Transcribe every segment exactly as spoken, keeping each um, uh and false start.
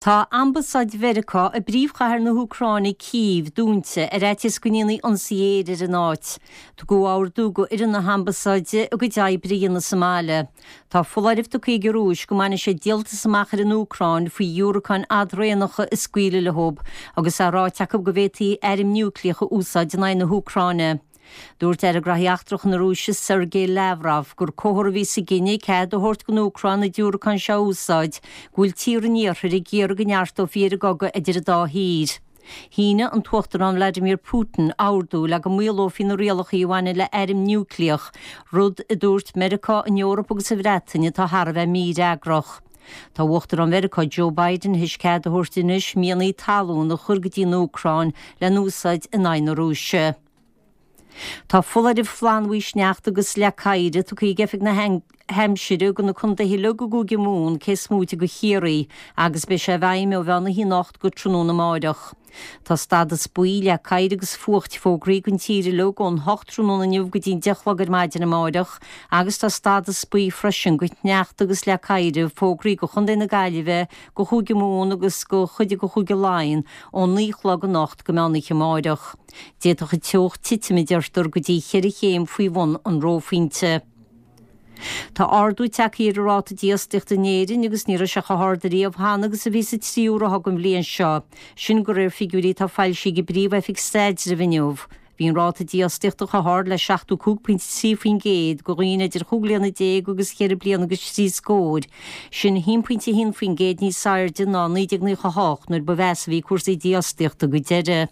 Tá Ambasáid Mheiriceá i bpríomhchathair na hÚcráine Cív dúnta ar fhaitíos go ndéanfaí ionsaí aeir ar an áit. Tugadh ordú go fhoireann na hAmbasáide a gcuid oibre a dhéanamh sa mbaile. Tá foláireamh tugtha ag an Rúis go mbainfidh siad díoltas amach ar an Úcráin faoi dhiúracáin fhadraonacha a scaoileadh leo agus é ráite acu go bhféadfaí airm núicléach a úsáid in aghaidh na hÚcráine. Dúirt Aire Gnóthaí Eachtracha na Rúise Sergei Lavrov gur comhartha a bhí sa gcinneadh cead a thabhairt don Úcráin na diúracáin seo a úsáid go bhfuil tíortha an Iarthair ag iarraidh go neartófaí ar an gcogadh idir an dá thír. Shínigh an tUachtarán Vladimir Putin ordú le go maolófaí na rialacha a bhaineann le hairm núicléach, rud a dúirt Meiriceá, an Eoraip agus an Bhreatain atá thar a bheith mífhreagrach. Tá Uachtarán Mheiriceá Joe Biden théis cead a thabhairt anois mianaigh talún a chur go dtí an Úcráin le n-úsáid in aghaidh na Rúise. Tá foláireamh flannbhuí sneachta agus leac oighir tugtha ag Oifig na hAimsire do na contaetha uilig i gCúige Mumhan cé is móite de Chiarraí agus beidh sé i bhfeidhm ó mheán oíche anocht go tráthnóna amáireach. Tá stádas buí leac oighir agus fuacht fógraithe don tír uilig ón hocht tráthnóna inniu go dtí an deich a chlog ar maidin amáireach agus tá stádas buí freisin do shneachta agus leac oighir fógraithe do Chontae na Gaillimhe, do Chúige Mumhan agus do chuid de Chúige Laighean ón naoi a chlog anocht go meán oíche amáireach. D'fhéadfadh an teocht titim a deirtear go dtí cheithre chéim faoi bhun an reophointe. Tá ardú tagtha ar an ráta dífhostaíochta in Éirinn agus ní raibh sé chomh hard ariamh cheana agus a bhí sa tríú ráithe den bhliain seo, sin de réir figiúirí atá foilsithe ag an bPríomh-Oifig Staidrimh inniu. Bhí an ráta dífhostaíochta chomh hard le seachtó cúig pointe trí faoin gcéad do dhaoine idir chúig bliana déag agus cheithre bliana agus trí scór, sin a haon pointe a haon faoin gcéad níos airde ná naoi déag nócha a hocht nuair ba mheasa a bhí cúrsaí dífhostaíochta go deireadh.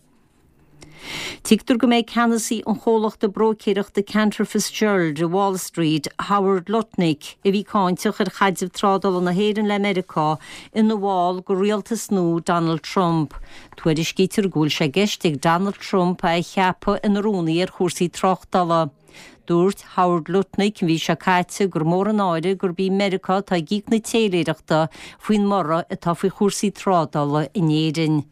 Tuigtear go mbeidh ceannasaí an chomhlachta bróicéireachta Cantor Fitzgerald i Wall Street, Howard Lutnick, a bhí cáinteach ar chaidreamh trádála na hÉireann le Meiriceá, ina bhall de rialtas nua Donald Trump. Tuairiscítear go bhfuil sé i gceist ag Donald Trump é a cheapadh ina rúnaí ar chúrsaí tráchtála. Dúirt Howard Lutnick an mhí seo caite gur mór an náire gurb í Meiriceá atá ag íoc na téiléireachta faoin mborradh atá faoi chúrsaí trádála in Éirinn.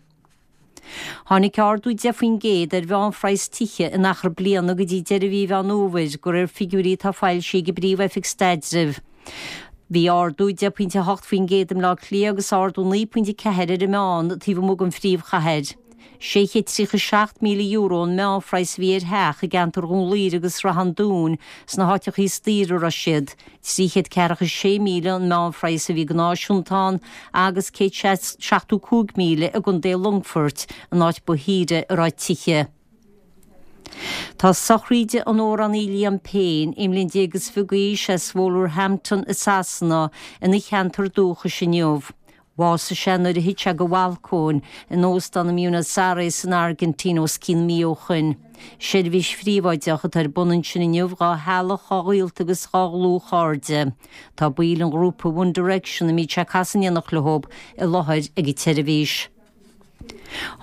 Tháinig ardú deich faoin gcéad ar mheánphraghas tithe in achar bliana go dtí deireadh mhí Mheán Fhómhair, de réir figiúirí atá foilsithe ag an bPríomh-Oifig Staidrimh. Bhí ardú deich pointe a hocht faoin gcéad i mBleá Cliath agus ardú naoi pointe a ceathair ar an meán taobh amuigh den phríomhchathair. sé chéad tríocha seacht míle euro an meánphraghas a bhí ar theach i gceantar Dhún Laoghaire agus Srath an Dúin sna háiteacha is daoire a raibh siad, trí chéad ceathracha sé míle an meánphraghas a bhí go náisiúnta ann agus céad seachtó cúig míle i gContae Longfoirt, an áit ba shaoire a raibh tithe. Tá sochraíde an amhránaí Liam Payne, aon bhliain déag is fiche d'aois, as Wolverhampton i Sasana, ina cheantar dúchais inniu. Bhásaigh sé nuair a thit sé de bhalcóin in óstán i mBuenos Aires san Airgintín os cionn mí ó shoin. Seirbhís phríobháideach atá ar bun ansin inniu dhá theaghlach, dhá ghaolta agus dhá dhlúthchairde. Tá baill an ghrúpa One Direction, a mbíodh sé ag casadh in éineacht leo, i láthair ag an tseirbhís.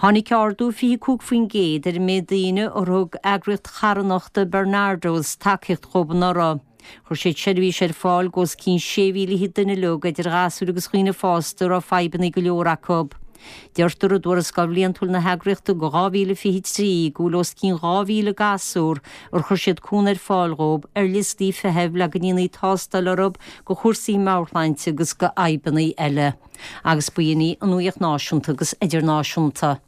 Tháinig ardú fiche cúig faoin gcéad ar an méid daoine ar thug eagraíocht charthanachta Barnardos tacaíocht dhóibh anuraidh. Chuir siad seirbhís ar fáil d'os cionn sé mhíle fhichead duine uilig, idir ghasúir agus dhaoine fásta, a raibh fadhbanna go leor acu. Deirtear i dtuarascáil bhliantúil na heagraíochta do dhá mhíle fiche trí go bhfuil os cionn dhá mhíle gasúr ar chuir siad cúnamh ar fáil dhóibh ar liostaí feithimh le go ndéanfaí tástáil orthu do chúrsaí meabhairshláinte agus do fhadhbanna eile. Agus b'in í an nuacht náisiúnta agus idirnáisiúnta.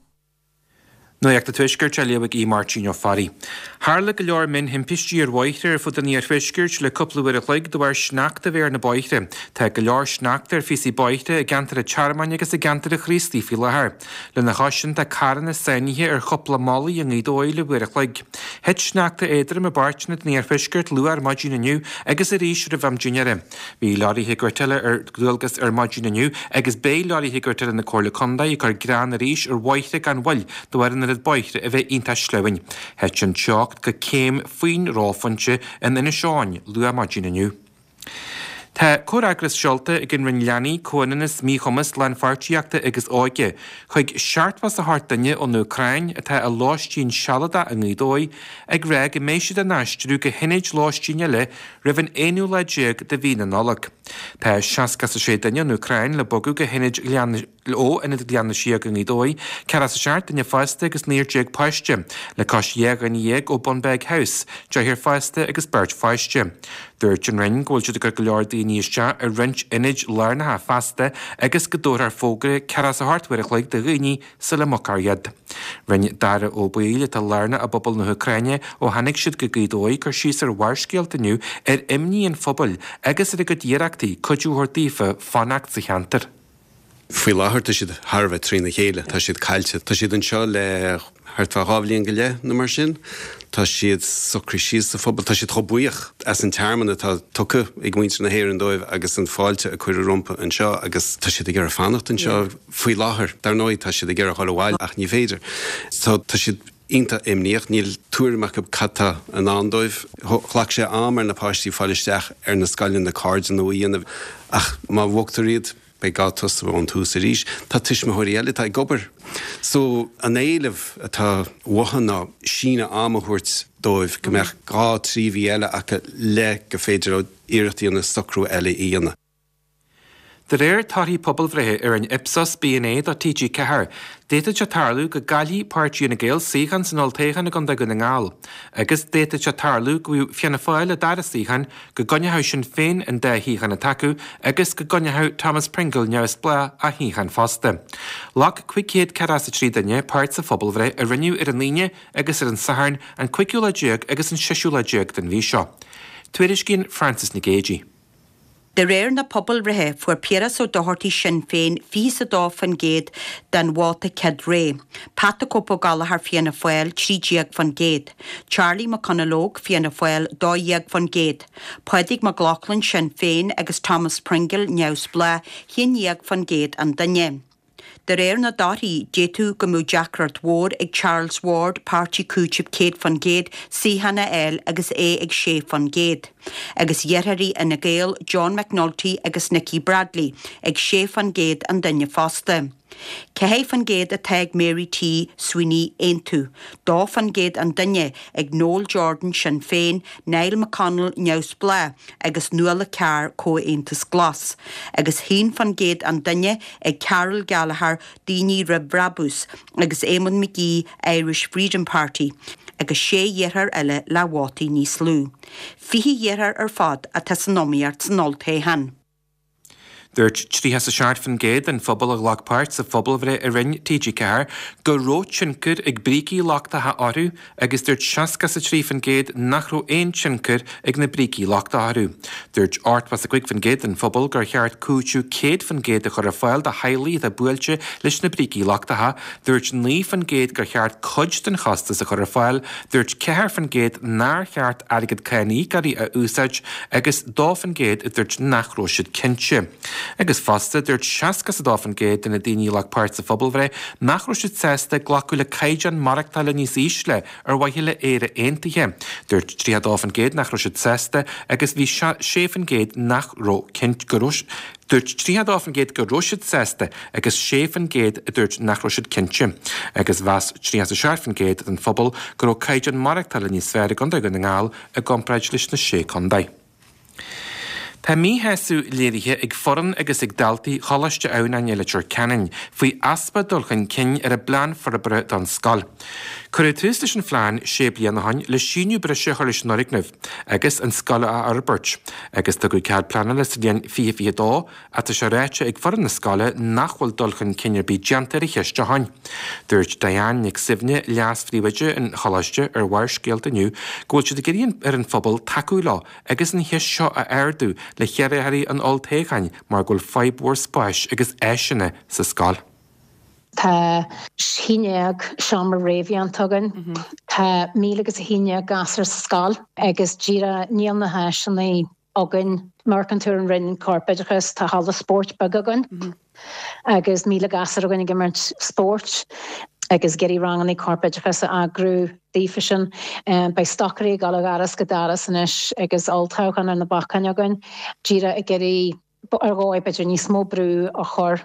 Nuacht an Tuaiscirt á léamh ag Aodh Máirtín Ó Fearraigh. Tharla go leor mionthimpistí ar bhóithre ar fud an iarthuaiscirt le cúpla uair a chloig de bharr sneachta a bheith ar na bóithre. Tá go leor sneachta ar phíosaí bóithre i gceantar an Tearmainn agus i gceantar an Chraoslaigh faoi láthair. Lena chois sin tá carranna sáinnithe ar chúpla mullaigh i nGaoth Dobhair le uair a chloig. Thit sneachta éadrom i bpáirteanna den iarthuaisceart luath ar maidin inniu agus arís roimh am dinnéara. Bhí leoraithe gortaithe ar dualgas ar maidin inniu agus beidh leoraithe gortaithe na Comhairle Contae ag cur grean arís ar bhóithre gan mhoill de bharr an oiread bóithre a bheith iontach sleamhain. Thit an teocht go céim faoin reophointe in Inis Eoghain luath maidin inniu. Tá comhfhreagras seolta ag an Roinn Leanaí, Comhionannas, Míchumas, Lánpháirtíochta agus Óige chuig seachtó is a hocht duine ón Úcráin atá i lóistín sealadach i nGaoth Dobhair ag rá go mbeidh siad á n-aistriú go hionaid lóistín eile roimh an aonú lá déag de mhí na Nollag. Tá seasca is a sé duine ón Úcráin le bogadh go hionad Ghleann ó Ionad Ghleann na Síóg i nGaoth Dobhair, ceathracha is a seacht duine fásta agus naonúr déag páiste, le cois dhá dhuine dhéag ó Bunbeg House, deichniúr fásta agus beirt pháiste. Dúirt Dúirt an Roinn go bhfuil siad ag cur go leor daoine isteach i roinnt ionaid lárnacha feasta agus go dtabharfar fógra ceathracha a hocht uair a chloig do dhaoine sula mbogfar iad. Rinne Dara Ó Baoill atá lárnach i bpobal na hÚcráine ó tháinig siad go Gaoth Dobhair cur síos ar Bharrscéalta inniu ar imní an phobail agus ar a gcuid iarrachtaí cuidiú a thabhairt daofa fanacht sa cheantar. Faoi láthair tá siad thar a bheith trína chéile, tá siad caillte. Tá siad anseo le thart fá dhá bhliain go leith nó mar sin. Tá siad socraithe síos sa phobal, tá siad chomh buíoch as an tearmann atá tugtha ag muintir na hÉireann dóibh agus an fáilte a cuireadh rompu anseo agus tá siad ag iarraidh fanacht anseo faoi láthair. Dar ndóigh tá siad ag iarraidh dul abhaile ach ní féidir. So tá siad iontach imníoch, níl tuairim acu cad tá i ndán dóibh. Ghlac sé am ar na páistí fáil isteach ar na scoileanna cairde nua a dhéanamh ach má bhogtar iad, beidh gá tosú ón tús arís. Tá tuismitheoirí eile atá ag obair. So an éileamh atá uathu ná síneadh ama a thabhairt dóibh go mbeadh dhá trí mhí eile acu le go féidir leo iarracht a dhéanamh socrú eile a dhéanamh. De réir torthaí pobalbhreithe a rinne Ipsos BNA do T G ceathair, d'fhéadfadh sé tarlú go gcaillfidh Páirtí Fhine Gael suíochán san olltoghchán i gContae Dhún na nGall, agus d'fhéadfadh sé tarlú go bhfaigheadh Fianna Fáil a dara suíochán, go gcoinneoidh Sinn Féin an dá shuíochán atá acu agus go gcoinneoidh Thomas Pringle neamhspleách a shuíochán fosta. Ghlac cúig chéad ceathracha a trí duine páirt sa phobalbhreith a rinneadh ar an Aoine agus ar an Satharn, an cúigiú lá déag agus an seisiú lá déag den mhí seo. Tuairiscíonn Frances Nic Géadaigh. De réir na pobalbhreithe, fuair Piaras Ó Dochartaigh Sinn Féin fiche is a dó faoin gcéad den vóta céad rogha, Pat the Cope Ó Gallchóir Fianna Fáil trí déag faoin gcéad, Charlie McConalogue Fianna Fáil dó dhéag faoin gcéad, Pádraig Mac Lochlainn Sinn Féin agus Thomas Pringle Neamhspleách haon dhéag faoin gcéad an duine. De réir na dtorthaí, d'fhéadfadh go mbeadh deacracht mhór ag Charles Ward, Páirtí Cúitimh céad faoin gcéad, suíochán a fháil agus é ag sé faoin gcéad, agus iarrthóirí Fhine Gael John McNulty agus Nikki Bradley ag sé faoin gcéad an duine fosta. Ceathair faoin gcéad atá ag Mary T. Sweeney Aontú, dó faoin gcéad an duine ag Noel Jordan Sinn Féin, Niall McConnell Neamhspleách agus Nuala Carr Comhaontas Glas, agus haon faoin gcéad an duine ag Carol Gallagher Daoine Roimh Bhrabús agus Eamon McGee Irish Freedom Party, agus sé iarrthóir eile le vótaí níos lú. Fiche iarrthóir ar fad atá san iomaíocht san olltoghchán. Dúirt tríocha a seacht faoin gcéad den phobal a ghlac páirt sa phobalbhreith a rinne T G ceathair go raibh tionchar ag brící lochtacha orthu agus dúirt seasca a trí faoin gcéad nach raibh aon tionchar ag na brící lochtacha orthu. Dúirt ochtó a cúig faoin gcéad den phobal gur cheart cúiteamh céad faoin gcéad a chur ar fáil do theaghlaigh atá buailte leis na brící lochtacha, dúirt naoi faoin gcéad gur cheart cuid den chostas a chur ar fáil, dúirt ceathair faoin gcéad nár cheart airgead cáiníocóirí a úsáid agus dó faoin gcéad a dúirt nach raibh siad cinnte. Agus fosta dúirt seasca a dó faoin gcéad de na daoine a ghlac páirt sa phobalbhreith nach raibh siad sásta glacadh le caighdeán maireachtála níos ísle ar mhaithe le Éire Aontaithe. Dúirt tríocha dó faoin gcéad nach raibh siad sásta agus bhí sé faoin gcéad nach raibh cinnt go raibh Dúirt tríocha dó faoin gcéad go raibh siad sásta agus sé faoin gcéad a dúirt nach raibh siad cinnte. Agus mheas tríocha a seacht faoin gcéad den phobal go raibh caighdeán maireachtála níos fearr i gContae Dhún na nGall i gcomparáid leis na sé contae. Tá míshásamh léirithe ag foireann agus ag daltaí Choláiste Adhamhnáin i Leitir Ceanainn faoi easpa dul chun cinn ar a bplean forbartha don scoil. Cuireadh tús leis an phlean sé bliana ó shin le síneadh breise a chur leis an fhoirgneamh agus an scoil a fhorbairt, agus tugadh cead pleanála sa bhliain fiche fiche dó ach tá sé ráite ag foireann na scoile nach bhfuil dul chun cinn ar bith déanta ar an cheist ó shin. Dúirt Diane Nic Suibhne, leas-phríomhoide an Choláiste ar Bharrscéalta inniu go bhfuil siad ag iarraidh ar an phobal tacú leo agus an cheist seo a ardú le hiarrthóirí an olltoghcháin mar go bhfuil fadhb mhór spáis agus áiseanna sa scoil. Tá haon déag seomra réamhdhéanta againn. Tá míle agus a haon déag gasúr sa scoil agus díreach níl na háiseanna againn. Mar an túr an Roinn Corpoideachas, tá halla spóirt beag againn agus míle gasúr againn ag imirt spóirt agus ag iarraidh ranganna corpoideachas a eagrú daofa sin. Beidh stocairí ag dul ó dhoras go doras anois agus olltoghchán ar na bacáin againn. Díreach ag iarraidh ar dhóigh b'fhéidir níos mó brú a chur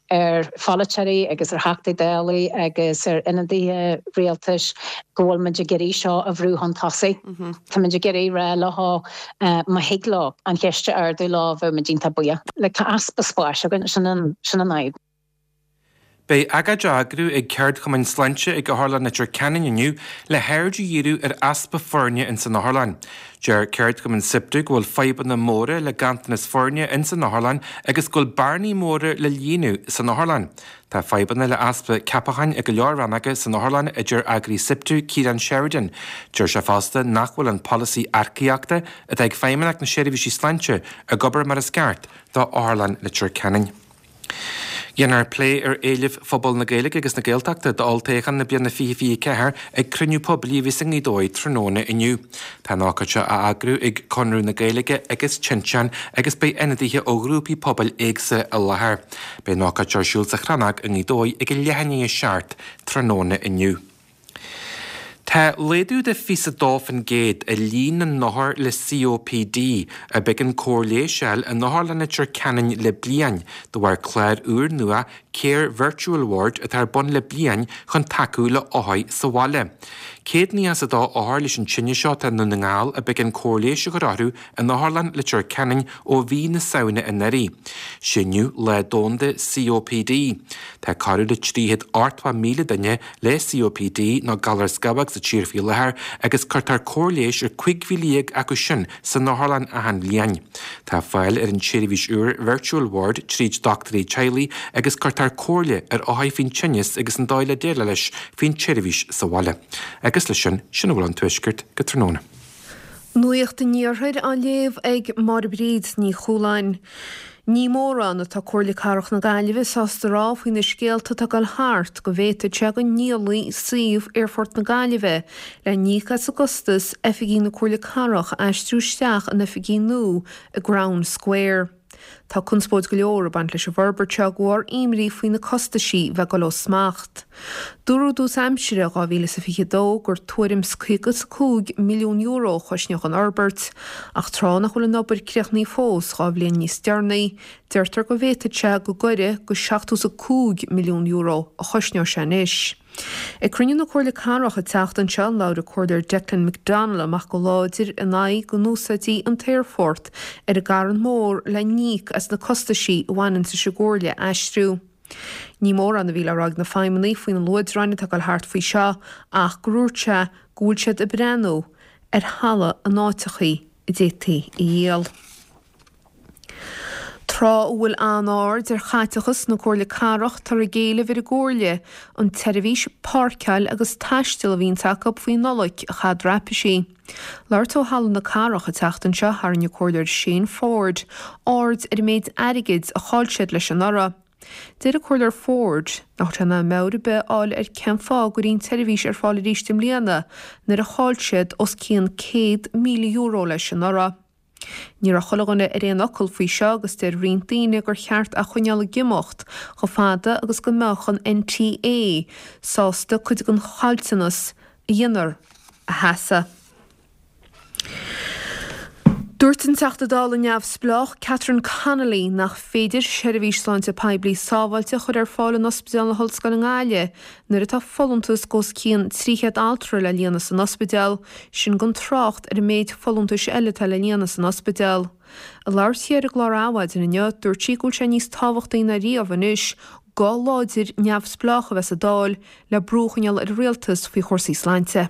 ar pholaiteoirí agus ar Theachtaí Dála agus ar ionadaithe rialtais go bhfuil muid ag iarraidh seo a bhrú chun tosaigh. Tá muid ag iarraidh rá leo má thig leo an cheist a ardú leo bheadh muid iontach buíoch. Like, tá easpa spáis againn, sin an sin an fhadhb. Beidh agóid á eagrú ag ceardchumainn sláinte ag Otharlann Leitir Ceanainn inniu le haird a dhíriú ar easpa foirne ins an otharlann. Deir ceardchumann SIPTU go bhfuil fadhbanna móra le ganntanas foirne ins an otharlann agus go bhfuil bearnaí móra le líonadh san otharlann. Tá fadhbanna le easpa ceapacháin i go leor rannóga san otharlann a deir eagraí SIPTU Ciarán Sheridan. Deir sé fosta nach bhfuil an polasaí earcaíochta atá ag Feidhmeannacht na Seirbhísí Sláinte ag obair mar is ceart do Otharlann Leitir Ceanainn. Déanfar plé ar éilimh phobal na Gaeilge agus na Gaeltachta d'olltoghchán na bliana fiche fiche ceathair ag cruinniú poiblí a bheas i Ngaoth Dobhair tráthnóna inniu. Tá an ócáid seo á eagrú ag Conradh na Gaeilge agus Tinteán agus beidh ionadaithe ó ghrúpaí pobail éagsúla i láthair. Beidh an ócáid ar siúl sa Chrannóg i Ngaoth Dobhair ag a leath i ndiaidh a seacht tráthnóna inniu. Tá laghdú de fiche dó faoin gcéad i líon na n-othar le COPD a b'éigean cóir leighis a fháil in Otharlann Leitir Ceanainn le bliain de bharr clár úrnua Care Virtual Ward atá ar bun le bliain chun tacú le hothair sa bhaile. Céad nócha is a dó othar leis an tinneas seo atá i nDún na nGall a b'éigean cóir leighis a chur orthu in Otharlann Leitir Ceanainn ó mhí na Samhna anuraidh. Sé inniu Lá Domhanda COPD. Tá corradh le trí chéad ochtó míle duine le COPD nó galar scamhóg sa tír faoi láthair agus cuirtear cóir leighis ar cúig mhíle dhéag acu sin san otharlann achan bhliain. Tá fáil ar an tseirbhís úr Virtual Ward tríd dochtúirí teaghlaigh agus cuirtear comhairle ar othair faoin tinneas agus an dóigh le déileáil leis faoin tseirbhís sa bhaile. Agus leis sin, sin a bhfuil ón Tuaisceart go tráthnóna. Nuacht an Iarthair á léamh ag Máire Bríd Ní Chualáin. Ní mórán atá Comhairle Cathrach na Gaillimhe sásta rá faoi na scéalta atá ag dul thart go bhféadfadh sé go ndíolfaí suíomh Aerfort na Gaillimhe le n-íoc as an gcostas oifigí na Comhairle Cathrach a aistriú isteach in oifigí nua i gCrown Square. Tá conspóid go leor ag baint leis an bhforbairt seo de bharr imní faoi na costaisí bheith ag dul ó smacht. Dúradh i dtús aimsire dhá mhíle is a fiche dó gur tuairim is caoga is a cúig milliún euro a chosnódh an fhorbairt, ach tráth nach bhfuil an obair críochnaithe fós dhá bhliain níos deireanaí, deirtear go bhféadfadh sé go gcuirfidh go seachtó is a cúig milliún euro a chosnódh sé anois. Ag cruinniú na Comhairle Cathrach an tseachtain seo, labhair an Comhairleoir Declan McDonogh amach go láidir in aghaidh go n-úsáidfí an t-aerfort ar an gCarn Mór le n-íoc as na costaisí a bhaineann leis an gComhairle a aistriú. Ní mórán a bhí le rá ag na feidhmeannaigh faoi na luaidreáin atá ag dul thart faoi seo ach gur dhúirt sé go bhfuil siad ag breathnú ar thalamh in áiteachaí a d'fhéadfaí a dhíol. Tráth a bhfuil an-aird ar chaiteachas na Comhairle Cathrach, táthar ag éileamh ar an gComhairle an tseirbhís páirceáil agus taisteal a bhíonns acu faoi Nollaig a chaitheamh traipisí. Labhairt ó Halla na Cathrach an tseachtain seo, tharraing an Comhairleoir Shane Forde aird ar an méid airgid a chaill siad leis anuraidh. Deir an Comhairleoir Forde nach bhfuil sé in ann meabhair ar bith a fháil ar cén fáth a gcuirfí an tseirbhís ar fáil arís i mbliana nuair a chaill siad os cionn céad míle euro leis anuraidh. Ní raibh chuile dhuine ar aon fhocal faoi seo agus deir roinnt daoine gur cheart a choinneáil ag imeacht chomh fada agus go mbeadh an NTA sásta cuid den chaillteanas a dhéanfar a sheasamh. Dúirt an Teachta Dála neamhspleách Catherine Connolly nach féidir seirbhís sláinte poiblí sábháilte a chur ar fáil in Ospidéal na hOllscoile i nGaillimh nuair atá folúntas os cionn trí chéad altra le líonadh san ospidéal, sin gan trácht ar an méid folúntais eile atá le líonadh san ospidéal. Ag labhairt di ar an gclár Adhmhaidin inniu, dúirt sí go bhfuil sé níos tábhachtaí ná riamh anois guth láidir neamhspleách a bheith sa Dáil le brú a choinneáil ar an rialtas faoi chúrsaí sláinte.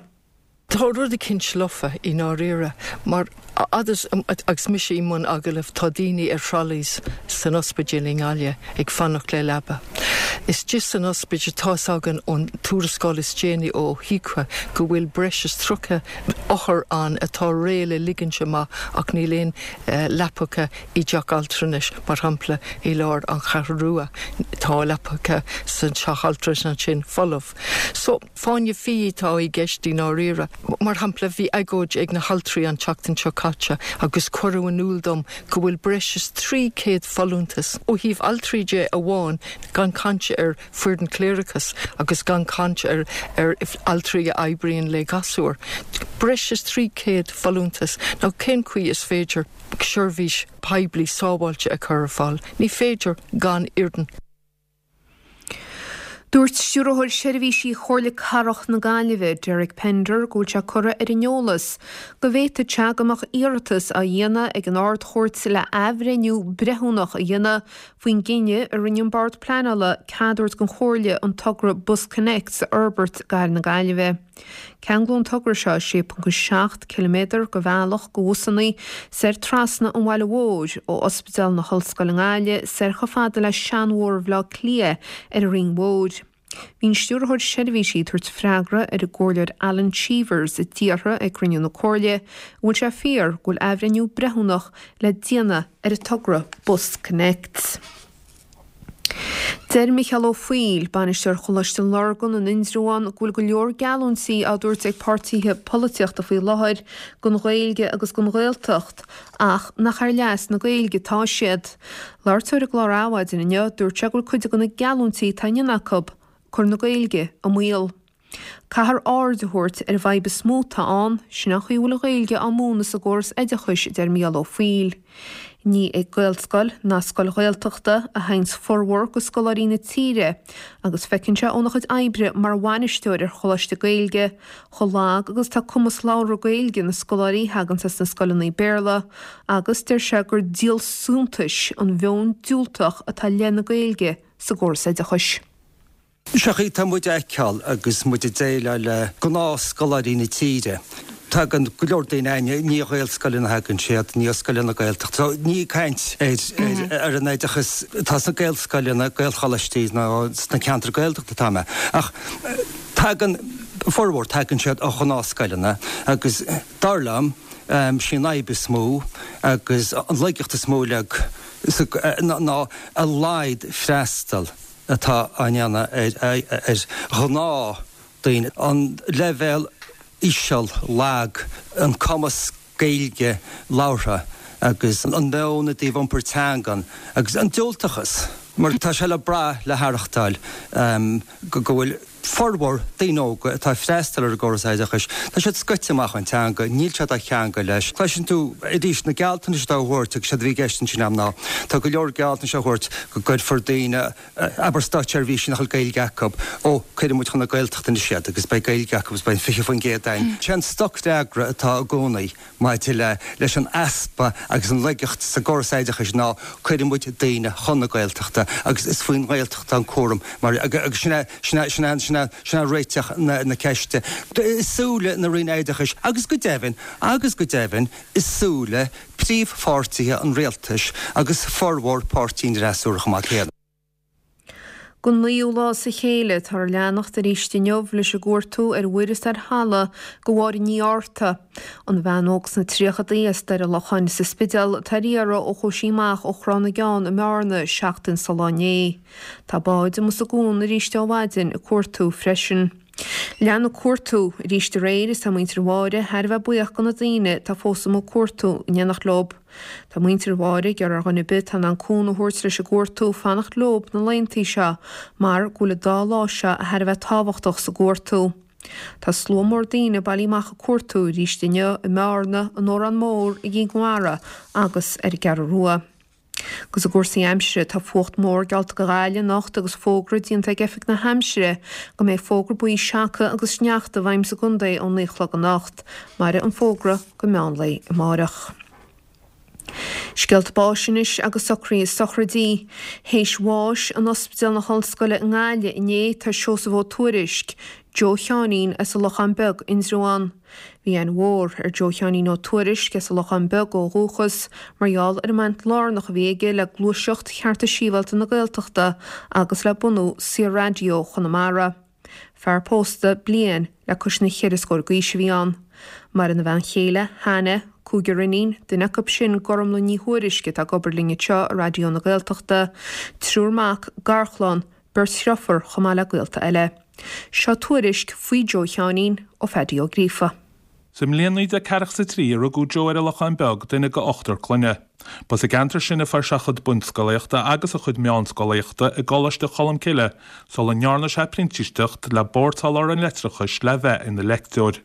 Tá rud eicínt lofa i ndáiríre mar agus agus mise i mbun agallaimh tá daoine ar trolleys san ospidéal i nGaillimh ag fanacht le leaba. Istigh san ospidéal tá's againn ón tuarascáil is déanaí ó HIQA go bhfuil breis is tríocha othar ann atá réidh le ligint amach ach níl aon leapacha i dteach altranais mar shampla i lár an Cheathrú Rua tá leapacha san teach altranais ansin folamh. So fáinne fí atá i gceist i ndáiríre. Mar shampla, bhí agóid ag na haltraí an tseachtain seo caite agus cuireadh in iúl dom go bhfuil breis is trí chéad folúntas ó thaobh altraí de amháin, gan caint ar foireann cléireachais agus gan caint ar ar altraí a oibríonn le gasúir. Breis is trí chéad folúntas. Now cén chaoi is féidir seirbhís poiblí sábháilte a chur ar fáil? Ní féidir gan fhoireann. Dúirt Stiúrthóir Seirbhísí Chomhairle Cathrach na Gaillimhe, Derek Pender, go bhfuil sé curtha ar an eolas go bhféadfadh sé go mbeadh iarratas á dhéanamh ag an Ard-Chúirt le athbhreithniú breithiúnach a dhéanamh faoin gcinneadh a rinne an Bord Pleanála cead a thabhairt don Chomhairle an togra BusConnects a fhorbairt i gcathair na Gaillimhe. Ceanglóidh an togra seo sé ponc seacht ciliméadar de bhealach do bhusanna soir trasna an bhaile mhóir, ó Ospidéal na hOllscoile i nGaillimh soir chomh fada le Seanbhóthar Bhaile Átha Cliath ar an Rinn Mhór. Bhí an Stiúrthóir Seirbhísí ag tabhairt freagra ar an gComhairleoir Alan Cheevers a d'fhiafraigh ag cruinniú na Comhairle an bhfuil sé fíor go bhfuil athbhreithniú breithiúnach le déanamh ar an togra BusConnects. Deir Micheál Ó Foighil, bainisteoir Choláiste Lurgan in Indreabhán, go bhfuil go leor geallúintí á dtabhairt ag páirtithe polaitíochta faoi láthair don Ghaeilge agus don Ghaeltacht ach nach ar leas na Gaeilge atá siad. Labhairt dó ar an gclár Adhmhaidin inniu, dúirt sé go bhfuil cuid de na geallúintí atá á ndéanamh acu ag cur na Gaeilge i mbaol. Caithfear aird a thabhairt ar an bhfadhb is mó atá ann, sin an chaoi a bhfuil an Ghaeilge á múineadh sa gcóras oideachais, a deir Mícheál Ó Foighil. Ní ag Gaelscoil ná scoil Ghaeltachta a théanns formhór de scoláirí na tíre agus feiceann sé óna chuid oibre mar bhainisteoir ar choláiste Gaeilge chomh lag agus atá cumas labhartha Gaeilge na scoláirí a thaganns as na scoileanna Béarla agus deir sé gur díol suntais an mheon diúltach atá i leith na Gaeilge sa gcóras oideachais. Seo chaoi tá muid a fheiceáil agus muid ag déileáil le gnáthscoláirí na tíre. Tagann go leor daoine againne, ní ó Ghaelscoileanna a thagann siad, ní ó scoileanna Gaeltachta. So ní ag caint ar ar an oideachas atá sna Gaelscoileanna, Gaelcholáistí nó sna ceantair Gaeltachta atá mé. Ach tagann, formhór, tagann siad ó ghnáthscoileanna agus dar liom, sí an fhadhb is mó agus an laigeacht is mó uilig ná a laghad freastal atá á ndéanamh ar ghnáthdhaoine, an leibhéal íseal, lag, an cumas Gaeilge labhartha agus an meon i dtaobh iompar teangan agus an diúltachas, mar tá sé le brath, le haireachtáil go bhfuil formhór daoine óga atá ag freastal ar an gcóras oideachais, tá siad scoite amach ón teanga, níl siad á cheangal leis. Cloiseann tú arís na gealltanais atá á thabhairt agus séard a bhí i gceist ansin agam ná tá go leor gealltanais á thabhairt go gcuirfear daoine, abair státseirbhísigh nach bhfuil Gaeilge acu, ó cuirfidh muid chun na Gaeltachta anois iad agus beidh Gaeilge acu agus beidh an fiche faoin gcéad againn. Sé an stocfhreagra atá i gcónaí maidir le leis an easpa agus an laigeacht sa gcóras oideachais ná cuirfidh muid daoine chun na Gaeltachta agus is faoin nGaeltacht an cúram mar agus sin é sin é sin é sin é sin é réiteach na na ceiste i súile na Roinne Oideachais agus go deimhin agus go deimhin i súile príomhpháirtithe an rialtais agus formhór páirtí an fhreasúra chomh maith céanna. Don naoú lá as a chéile, táthar ag leanacht arís inniu leis an gcuartú ar mhuir is ar thalamh do Mháire Ní Fhátharta, an bhean óg sna tríochadaí as Doire Locháin sa Spidéal atá ar iarraidh ó chuaigh sí amach ó Thrá na gCeann i mBearna seachtain sa lá inné. Tá báid amuigh sa gcuan arís ó mhaidin ag cuartú freisin. Lean an cuartú arís aréir is tá muintir Mháire thar a bheith buíoch do na daoine atá fós amuigh ag cuartú in éineacht leo. Tá muintir Mháire ag iarraidh ar dhuine ar bith atá in ann cúnamh a thabhairt leis an gcuartú fanacht leo na laethanta seo mar go bhfuil an dá lá seo thar a bheith tábhachtach sa gcuartú. Tá slua mór daoine bailithe amach ag cuartú arís inniu i mBearna, in Órán Mór, i gCinn Mhara agus ar an gCeathrú Rua. Agus i gcúrsaí aimsire, tá fuacht mór geallta do Ghaillimh anocht agus fógra déanta ag Oifig na hAimsire go mbeidh fógra buí seaca agus sneachta i bhfeidhm sa gcontae ón naoi a chlog anocht. Mairfidh an fógra go meán lae amárach. Scéalta báis anois agus socruithe sochraidí. Théis bháis in Ospidéal na hOllscoile i nGaillimh inné tá Seosamh Ó Tuairisg, Joe Sheáinín as an Lochán Beag, Indreabhán. Bhí aithne mhór ar Joe Sheáinín Ó Tuairisg as an Lochán Beag ó dhúchas mar gheall ar an mbaint lárnach a bhí aige le gluaiseacht chearta sibhialta na Gaeltachta agus le bunú Saor-Raidió Chonamara. Fear pósta bliain le cois na cheithre scór d'aois a bhí ann. Maireann a bhean chéile, Hannah, cúigear iníon, duine acu sin Gormlaith Ní Thuairisg atá ag obair linn anseo i Raidió na Gaeltachta, triúr mac, garchlann, beirt dhriofúr chomh maith le gaolta eile. Seo tuairisc faoi Joe Sheáinín ó Pheaidí Ó Gríofa. Sa mbliain naoi déag ceathracha 's a trí a rugadh Joe ar an Lochán Beag, duine de ochtar clainne. Ba sa gceantar sin a fuair sé a chuid bunscolaíochta agus a chuid meánscolaíochta i gColáiste Cholmcille sula ndearna sé printíseacht le Bord Soláthair an Leictreachais le bheith ina leicteoir.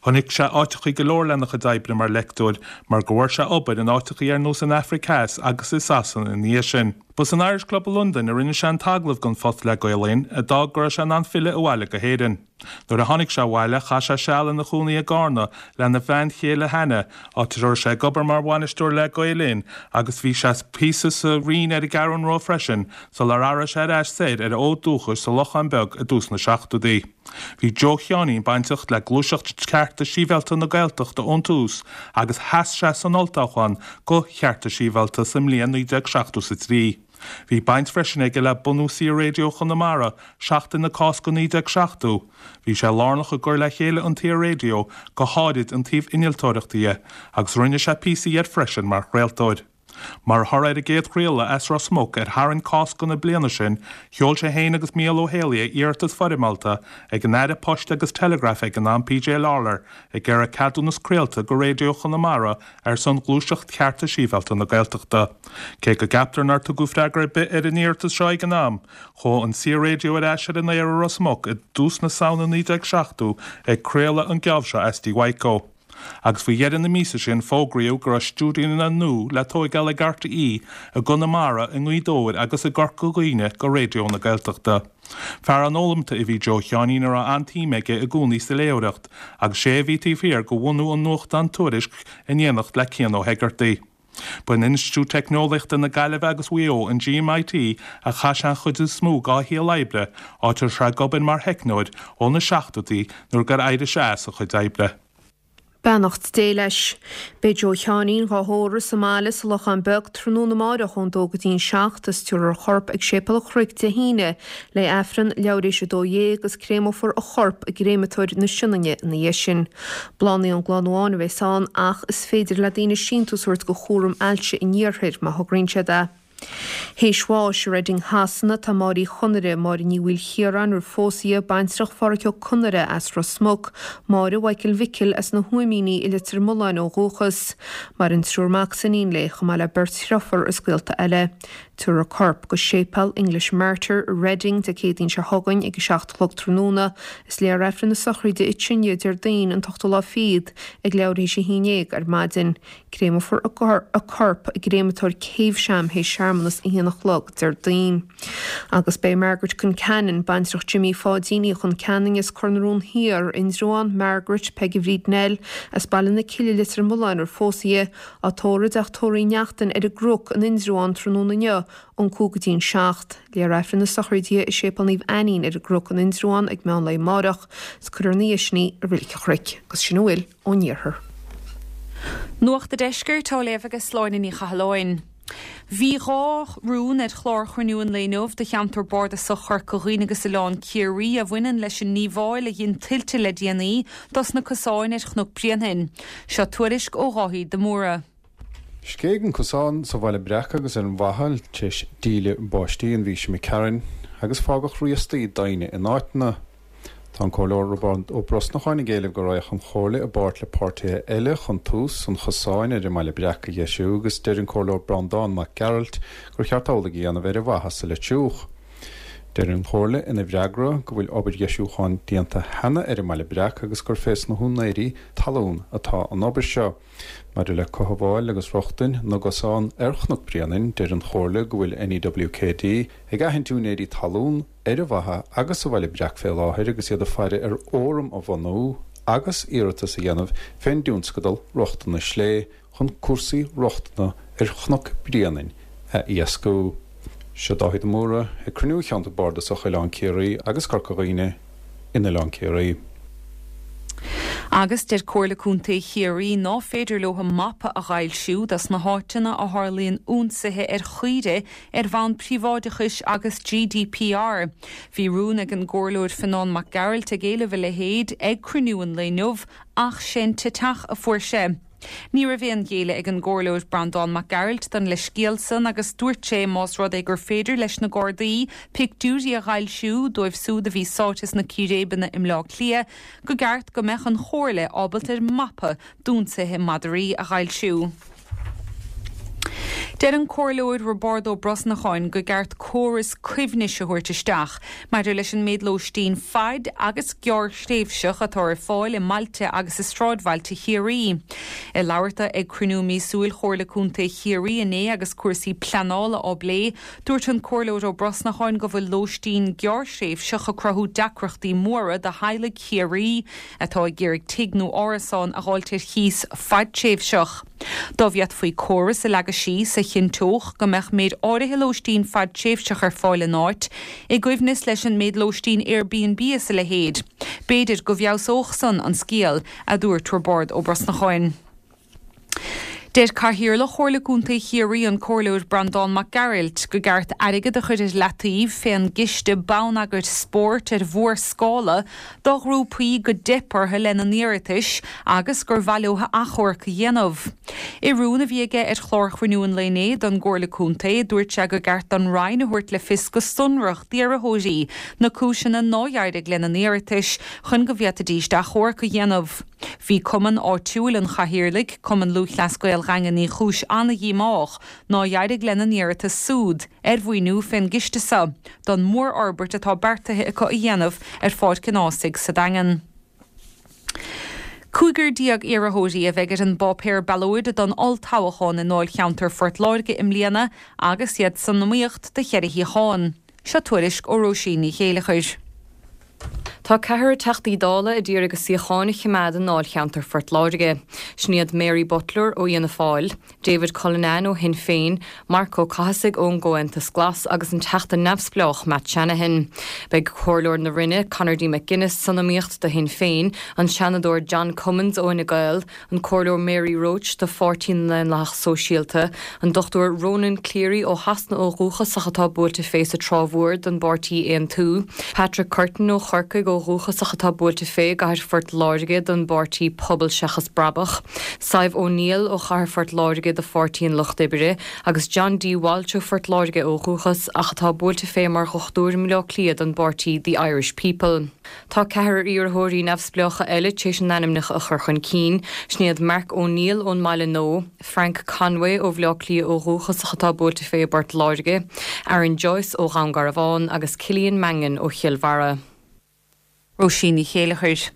Chonaic sé áiteachaí go leor lena chuid oibre mar leicteoir mar go bhfuair sé obair in áiteachaí ar nós an Afraic Theas agus i Sasana ina dhiaidh sin. Ba san Irish Club i Londain a rinne sé an t-agallamh don phost le Gael Linn, a d'fhág go raibh sé in ann filleadh abhaile go hÉirinn. Nuair a tháinig sé abhaile, chaith sé seal ina chónaí i gCarna lena bhean chéile Hannah, áit a raibh sé ag obair mar bhainisteoir le Gael Linn agus bhí sé píosa sa Rinn ar an gCeathrú Rua freisin sular athraigh sé ar ais soir ar a fhód dúchais sa Lochán Beag i dtús na seachtóidí. Bhí Joe Sheáinín bainteach le gluaiseacht chearta sibhialta na Gaeltachta ón tús agus sheas sé san olltoghchán do chearta sibhialta sa mbliain naoi déag seachtó is a trí. Bhí baint freisin aige le bunú Saor-Raidió Chonamara Seachtain na Cásca naoi déag seachtó. Bhí sé lárnach i gcur le chéile an tSaor-Raidió, go háirid an taobh innealtóireachta dhe, agus rinne sé píosaí air freisin mar chraoltóir. Mar thoradh ar an gcéad chraoladh as Ros Muc ar tharraing Cásca na bliana sin, sheol sé féin agus Mícheál Ó Héalaí iarratas foirmeálta ag an Aire Poist agus Teileagraif ag an am P J Lawlor ag iarraidh ceadúnas craolta go Raidió Chonamara ar son ghluaiseacht chearta sibhialta na Gaeltachta. Cé go gceaptar nár tugadh freagra ar bith ar an iarratas seo ag an am, chuaigh an Saor-Raidió ar ais ar an aer i Ros Muc i dtús na Samhna naoi déag seachtó ag craoladh an geábh seo as Tigh Mhaidhcó. Agus faoi dheireadh na míosa sin fógraíodh go raibh stiúideonna nua le tóigeáil ag R T E i gConamara, i nGaoth Dobhair agus i gCorca Dhuibhne go Raidió na Gaeltachta. Fear an-fhoghlamta a bhí Joe Sheáinín a raibh an-tsuim aige i gcónaí sa léitheoireacht agus sé a bhí taobh thiar de bhunú an nuachtáin Tuairisc in éineacht le Cian Ó hEigeartaigh. Ba in Institiúid Teicneolaíochta na Gaillimhe agus Mhaigh Eo, an G M I T, a chaith sé an chuid is mó dá shaol oibre, áit a raibh sé ag obair mar theicneoir ó na seachtóidí nuair gur éirigh sé as a chuid oibre. Beannacht Dé leis. Beidh Joe Sheáinín dhá thórramh sa mbaile sa Lochán Beag tráthnóna amáireach ón dó go dtí an seacht is tabharfar a chorp ag Séipéal an Chnoic Dé hAoine le Aifreann leathuair théis a dó dhéag agus créamófar a chorp i gcréamatóir na Sionainne ina dhiaidh sin. Bláthanna ón gclann amháin a bheas ann ach is féidir le daoine síntiús a thabhairt go chúram ailse an iarthair má thograíonn siad é. Théis bháis i Reading Shasana tá Máire Uí Chonaire, Máire Ní Mhaoilchiaráin roimh phósadh di, baintreach Phádhraic Ó Conaire as Ros Muc, Máire Mhichael Mhicil as na hUaimíní i Leitir Mealláin ó dhúchas. Maireann triúr mac is iníon léi, chomh maith le beirt dhriofúr is gaolta eile. Tabharfar a corp go Séipéal English Martyr i Reading Dé Céadaoin seo chugainn ag a seacht a chlog tráthnóna. Is léifear Aifreann na sochraide i Tine Déardaoin an t-ochtú lá fichead ag leathuair théis a haon déag ar maidin. Créamófar a corp i gcréamatóir Caversham théis searmanas a haon a chlog Déardaoin. Agus beidh Margaret Concannon, baintreach Jimmy Pháidín Uí Chonceanainn as Cor na Rón Thiar, Indreabhán, Margaret, Peige Bhríd Nell, as Baile na Cille Leitir Mealláin ar phósadh di, á tórramh i dteach tórraimh Uí Neachtain ar an gCnoc in Indreabhán tráthnóna inniu ón cúig go dtí an seacht. Léifear Aifreann na sochraide i Séipéal Naomh Ainnín ar an gCnoc in Indreabhán ag meán lae amárach, is cuirfear ina dhiaidh sin í i Reilig an Chnoic, agus sin a bhfuil ón iarthar. Nuacht an Deiscirt á léamh ag Sláine Ní Chathalláin. Bhí dhá rún ar chlár chruinniú an lae inniu do cheantar bardasach Chorca Dhuibhne agus Oileán Ciarraí a bhaineann leis an ndíobháil a dhein tuilte le déanaí dos na cosáin ar Chnoc Bréanainn. Seo tuairisc ó Dháithí de Mórdha. Scéigh an cosán sa Bhaile Breac agus ar an Bhachall tar éis díle báistí an mhí seo imigh tharainn agus fágadh riastaí doimhne in áiteanna. Tá an Comhairleoir Roibeárd Ó Brosnacháin ag éileamh go raghadh an Chomhairle i bpáirt le páirtithe eile chun tús an chosáin ar an mBaile Breac a dheisiú agus deir an Comhairleoir Breandán Mac Gearailt gur cheart amhlaidh a dhéanamh ar an mhaitheas le triúch. Deir an Chomhairle ina bhfreagra go bhfuil obair dheisiúcháin déanta cheana ar an mBaile Breac agus gur fés na húinéirí talún atá an obair seo. Maidir le cothabháil agus rochtain na gcosán ar Chnoc Bréanainn, deir an Chomhairle go bhfuil N E W K D ag aithint úinéirí talún ar an Bhacha agus sa Bhaile Breac fé láthair agus iad ag faire ar fhóram a bhunú agus iarratas a dhéanamh fén dtionscadal rochtana slé chun cúrsaí rochtana ar Chnoc Bréanainn a éascú. Seo Dáithí de Mórdha ag cruinniú cheantar bardasach Oileán Ciarraí agus Corca Dhuibhne in Oileán Ciarraí. Agus deir Comhairle Contae Chiarraí ná féidir leo an mapa a fhoilsiú dos na háiteanna a tharlaíonn ionsaithe ar chaoirigh ar bhonn príobháideachais agus G D P R. Bhí rún ag an gComhairleoir Fionán Mac Gearailt ag éileamh a leithéid ag cruinniú an lae inniu ach sin te teach a fuair sé. Ní raibh aon ghéilleadh ag an gComhairleoir Breandán Mac Gearailt don leithscéal san agus dúirt sé más rud é gur féidir leis na Gardaí pictiúirí a fhoilsiú dóibh siúd a bhí sáite sna círéibeanna i mBleá Cliath, go gceart go mbeadh an Chomhairle ábalta ar mapa d'ionsaithe madraí a fhoilsiú. Deir an Comhairleoir Roibeárd Ó Brosnacháin go gceart córas coibhnis a thabhairt isteach maidir leis an méid lóistín fad agus gearrthréimhseach atá ar fáil i mbailte agus i sráidbhailte Chiarraí. Ag labhairt dó ag cruinniú míosúil Chomhairle Contae Chiarraí inné agus cúrsaí pleanála á bplé, dúirt an Comhairleoir Ó Brosnacháin go bhfuil lóistín gearrthréimhseach ag cruthú deacrachtaí móra do theaghlaigh Chiarraí atá ag iarraidh tigh nó árasán a dh'fháilt ar chíos fadtréimhseach. Dá bhféadfaí córas a leagadh síos a chinnteodh go mbeadh méid áirithe lóistín fadtréimhseach ar fáil in áit, i gcoibhneas leis an méid lóistín Airbnb is a leithéid, b'fhéidir go bhfeabhsódh san an scéal, a dúirt Roibeárd Ó Brosnacháin. Deir Cathaoirleach Chomhairle Contae Chiarraí, an Comhairleoir Breandán Mac Gearailt, go gceart airgead a chur ar leataobh fén gCiste Bonneagair Spóirt ar mhórscála do ghrúpaí go dteip orthu lena n-iarratais agus gur mhaith leo achomharc a dhéanamh. I rún a bhí aige ar chlár chruinniú an lae inné don gComhairle Contae, dúirt sé go gceart don Roinn a thabhairt le fios go sonrach d'iarrthóirí na cúiseanna nár éirigh lena n-iarratais chun go bhféadfaidís achomharc a dhéanamh. Bhí cumann áitiúil an Chathaoirligh, Cumann Lúthchleas Gael Dhaingean Uí Chúis an-dhíomách nár éirigh lena n-iarratas súd ar mhaoiniú fén gciste seo don mhórfhorbairt atá beartaithe acu a dhéanamh ar Pháirc an Ághasaigh sa Daingean. Cúigear déag iarrthóirí a bheidh ar an bpáipéar ballóide don olltoghchán i ndáilcheantar Phort Láirge i mbliana agus iad san iomaíocht do cheithre shuíochán. Seo tuairisc ó Róisín Ní Chéileachair. Tá ceathrar Teachtaí Dála a d'iarraidh a suíocháin a choimeád i ndáilcheantar Phort Láirge. Sin iad Mary Butler ó Fhianna Fáil, David Cullinane ó Shinn Féin, Marc Ó Cathasaigh ón gComhaontas Glas agus an Teachta neamhspleách Matt Shanahan. Beidh Comhairleoir na Rinne, Conor D McGuinness san iomaíocht do Shinn Féin, an Seanadóir John Cummins ó Fhine Gael, an Comhairleoir Mary Roche do Pháirtí na nDaonlathach Sóisialta, an Dochtúir Ronan Cleary ó Shasana ó dhúchas ach atá buailte fé sa Trá Mhór don bpáirtí Aontú, Patrick Curtin ó Chorcaigh ó dhúchas ach atá buailte fé i gcathair Phort Láirge don bpáirtí Pobal Seachas Brabach, Sadhbh O'Neill ó chathair Phort Láirge do Pháirtí an Lucht Oibre agus John D. Walsh ó Phort Láirge ó dhúchas ach atá buailte fé mar dhochtúir i mBleá Cliath don bpáirtí The Irish People. Tá ceathrar iarrthóirí neamhspleácha eile tar éis a n-ainmneacha a chur chun cinn, sin iad Mark O'Neill ón mBaile Nua, Frank Conway ó Bhleá Cliath ó dhúchas ach atá buailte fé i bPort Láirge, Aaron Joyce ó Dhún Garbhán agus Cillian Mangan ó Chill Bharra. Róisín Ní Chéileachair.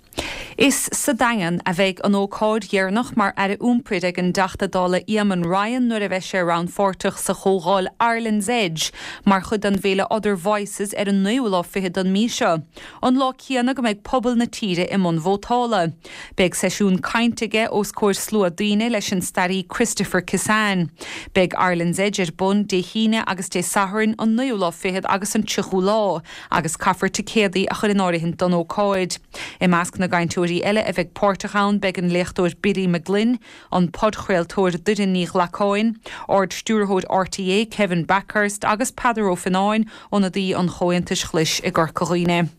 Is sa Daingean a bheidh an ócáid dheireanach mar Aire Iompair ag an dTeachta Dála Eamon Ryan nuair a bheidh sé rannpháirteach sa chomhdháil Ireland's Edge mar chuid den bhféile Other Voices ar an naoú lá fichead den mhí seo, an lá céanna go mbeidh pobal na tíre i mbun vótála. Beidh seisiún cainte aige os comhair slua daoine leis an staraí Christopher Kissane. Beidh Ireland's Edge ar bun Dé hAoine agus Dé Sathairn, an naoú lá fichead agus an tríochú lá, agus caithfear ticéadaí a chur in áirithint don ócáid. I measc na gcainteoirí eile a bheidh páirteach ann beidh an léachtóir Billy McGlynn, an podchraoltóir Doireann Ní Ghlacáin, Ard-Stiúrthóir RTÉ Kevin Bakhurst agus Peadar Ó Fionnáin, ionadaí an Chomhaontais Ghlais i gCorca Dhuibhne.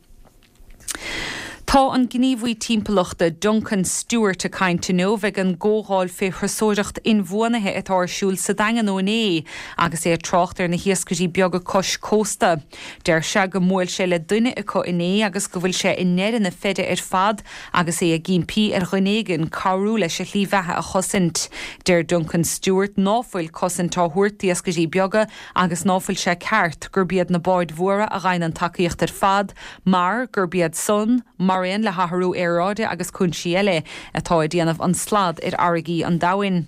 Tá an gníomhaí timpeallachta Duncan Stewart ag caint inniu ag an gcomhdháil fé thurasóireacht inbhuanaithe atá ar siúl sa Daingean ó inné agus é ag trácht ar na hiascairí beaga cois cósta. Deir sé go mbuail sé le duine acu inné agus go bhfuil sé i ndeireadh na feide ar fad agus é ag impí ar dhuine éigin cabhrú leis a shlí bheatha a chosaint. Deir Duncan Stewart ná fuil cosaint á thabhairt d'iascairí beaga agus ná fuil sé ceart gurb iad na báid mhóra a fhaigheann an tacaíocht ar fad mar gurb iad san, mar aon le hathrú aeráide agus cúinsí eile, atá ag déanamh an slad ar fharraigí an domhain.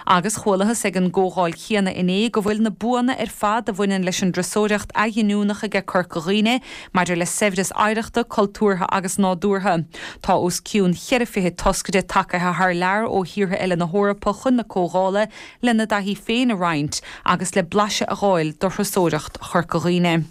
Agus chualathas ag an gcomhdháil chéanna inné go bhfuil na buanna ar fad a bhaineann leis an dturasóireacht athghiniúnach aige Corca Dhuibhne maidir le saibhreas oidhreachta, cultúrtha agus nádúrtha. Tá os cionn cheithre fichid toscaire tagaithe thar lear ó thíortha eile na hEorpa chun na comhdhála lena dtaithí féin a roinnt agus le blaiseadh a dh'fháil de thurasóireacht Chorca Dhuibhne.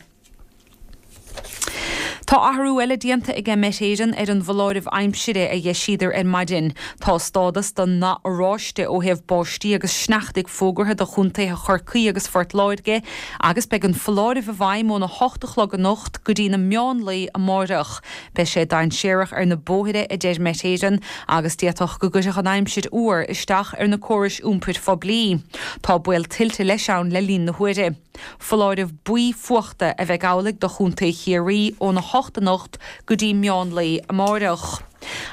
Tá athrú eile déanta aige Met Éireann ar an bhfoláireamh aimsire a d'eisíodar ar maidin. Tá stádas den nath oráiste ó thaobh báistí agus sneachtaidh fógartha do chontaetha Chorcaí agus Phort Láirge agus beidh an foláireamh i bhfeidhm óna hocht a chlog anocht go dtí na meán lae amáireach. Beidh sé dainséarach ar na bóithre, a deir Met Éireann, agus d'fhéadfadh go gcuirfeadh an aimsir fhuar isteach ar na córais iompair phoiblí. Tá baol tuilte leis ann le linn na huaire. Foláireamh buí fuachta a bheidh amhlaidh do Chontae Chiarraí óna hocht anocht go dtí meán lae amáireach.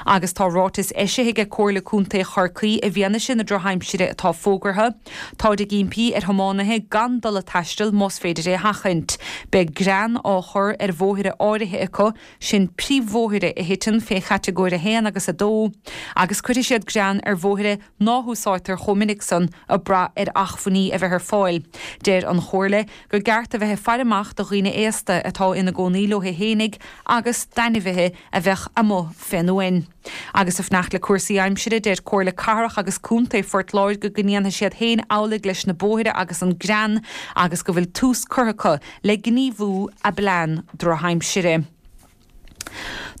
Agus tá ráiteas eisithe ag Comhairle Contae Chorcaí i bhfianaise na drochaimsire atá fógartha. Táid ag impí ar thiománaithe gan dul ag taisteal más féidir é a sheachaint. Beidh grean á chur ar bhóithre áirithe acu, sin príomhbhóithre a thiteann fé chatagóir a haon agus a dó, agus cuirfidh siad grean ar bhóithre ná húsáidtear chomh minic san ag brath ar achmhainní a bheith ar fáil. Deir an Chomhairle gur gceart a bheith ag faire amach do dhaoine aosta atá ina gcónaí leo fhéinig agus d'ainmhithe a bheadh amuigh fén uain. Agus ag fanacht le cúrsaí aimsire, deir Comhairle Cathrach agus Contae Phort Láirge go ndéanfaidh siad féin amhlaidh leis na bóithre agus an grean agus go bhfuil tús curtha acu le gníomhú a bplean drochaimsire.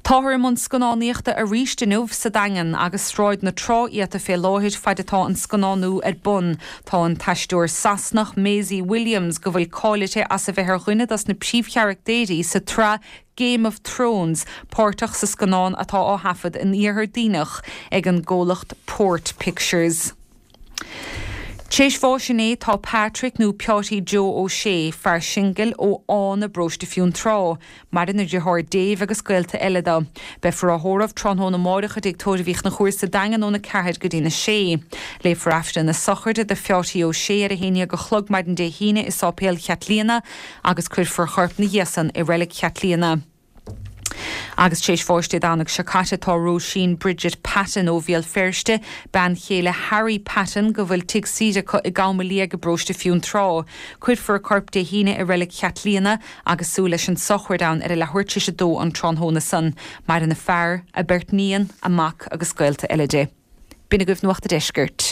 Táthar i mbun scannánaíochta arís inniu sa Daingean agus Sráid na Trá iata fé láthair faid atá an scannánú ar bun. Tá an t-aisteoir Sasanach Maisie Williams, go bhfuil cáil uirthi as a bheith ar dhuine dos na príomhcharachtéirí sa tsraith Game of Thrones, páirteach sa scannán atá á thaifead in Iarthar Duibhneach ag an gcomhlacht Port Pictures. Tréis bháis inné tá Patrick nó Peáití Joe Ó Sé, fear singil ó Fhána i bparóiste Fionntrá. Maireann a dheartháir Dave agus gaolta eile dó. Beifear á thórramh tráthnóna amáireach i dTigh Tórraimh Uí Chonchúir sa Daingean óna ceathair go dtína sé. Léifear Aifreann na sochraide do Pheáití Ó Sé ar a haon déag a chlog maidin Dé hAoine i Sáipéal Chaitlíona agus cuirfear a chorp 'na dhiaidh san i Reilig Chaitlíona. Agus tar éis bháis Dé Domhnaigh seo caite tá Róisín Bridget Patton ó Bhéal Feirste, bean chéile Harry Patton go bhfuil tigh saoire acu i gCam Liag i bparóiste Fionntrá. Cuirfear a corp Dé hAoine i Reilig Chaitlíona agus súil leis an sochraid ann ar a leathuair tar éis a dó an tráthnóna san. Maireann a fear, a beirt níon, a mac agus gaolta eile di. B'in agaibh Nuacht a' Deiscirt.